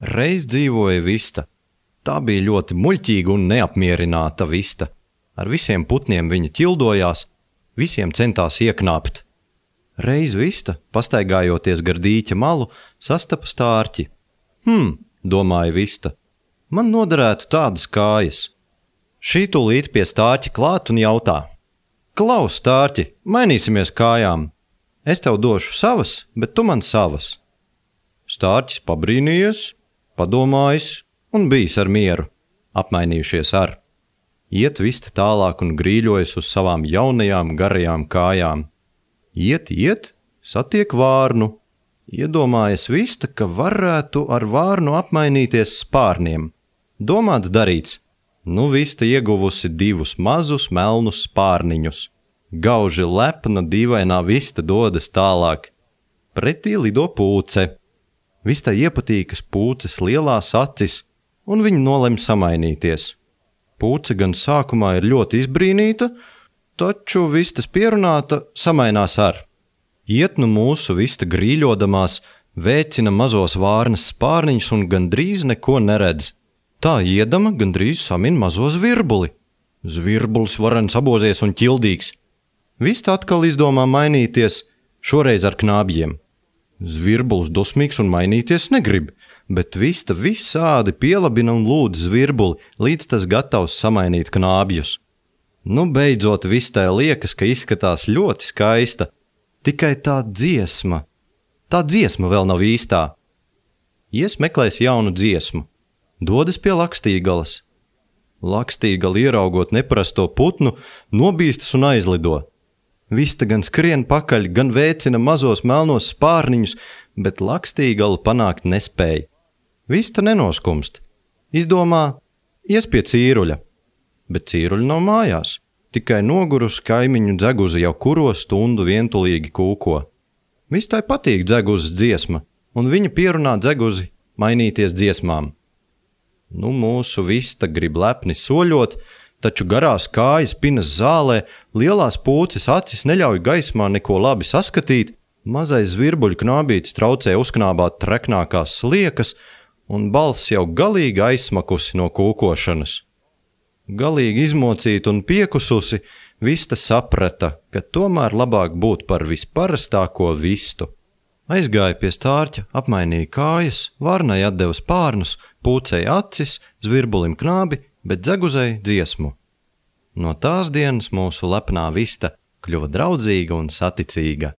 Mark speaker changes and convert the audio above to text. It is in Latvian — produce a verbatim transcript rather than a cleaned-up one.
Speaker 1: Reiz dzīvoja vista. Tā bija ļoti muļķīga un neapmierināta vista. Ar visiem putniem viņa ķildojās, visiem centās ieknāpt. Reiz vista, pastaigājoties gar dīķa malu, sastapa stārķi. Hm, domāja vista, man noderētu tādas kājas. Šī tūlīt pie stārķa klāt un jautā. Klaus, stārķi, mainīsimies kājām. Es tev došu savas, bet tu man savas. Stārķis pabrīnījies, padomājis un bijis ar mieru, apmainījušies ar. Iet vista tālāk un grīļojas uz savām jaunajām garajām kājām. Iet, iet, satiek vārnu. Iedomājas vista, ka varētu ar vārnu apmainīties spārniem. Domāts darīts. Nu vista ieguvusi divus mazus melnus spārniņus. Gauži lepna dīvainā vista dodas tālāk. Pretī lido pūce. Vista iepatīkas pūces lielās acis, un viņa nolem samainīties. Pūce gan sākumā ir ļoti izbrīnīta, taču vistas pierunāta samainās ar. Iet nu mūsu vista grīļodamās, vēcina mazos vārnas spārniņus un gandrīz neko neredz. Tā iedama gandrīz samin mazo zvirbuli. Zvirbulis varens abozies un ķildīgs. Vista atkal izdomā mainīties, šoreiz ar knābjiem. Zvirbulis dusmīgs un mainīties negrib, bet vista visādi pielabina un lūdz zvirbuli, līdz tas gatavs samainīt knābjus. Nu, beidzot vistai liekas, ka izskatās ļoti skaista, tikai tā dziesma. Tā dziesma vēl nav īstā. Ies meklēs jaunu dziesmu. Dodas pie Lakstīgalas. Lakstīgala ieraugot neparasto putnu, nobīstas un aizlido. Vista gan skrien pakaļ, gan vēcina mazos melnos spārniņus, bet Lakstīgala panākt nespēja. Vista nenoskumst. Izdomā, ies pie cīruļa. Bet cīruļa nav mājās. Tikai nogurus kaimiņu dzeguzi jau kuro stundu vientulīgi kūko. Vistai patīk dzeguzes dziesma, un viņa pierunā dzeguzi mainīties dziesmām. Nu, mūsu vista grib lepni soļot, taču garās kājas pinas zālē, lielās pūces acis neļauj gaismā neko labi saskatīt, mazais zvirbuļu knābītis traucē uzknābāt treknākās sliekas, un balss jau galīgi aizsmakusi no kūkošanas. Galīgi izmocīta un piekususi, vista saprata, ka tomēr labāk būt par visparastāko vistu. Aizgāja pie stārķa, apmainīja kājas, vārnai atdeva spārnus, pūcei acis, zvirbulim knābi, bet dzeguzei dziesmu. No tās dienas mūsu lepnā vista kļuva draudzīga un saticīga.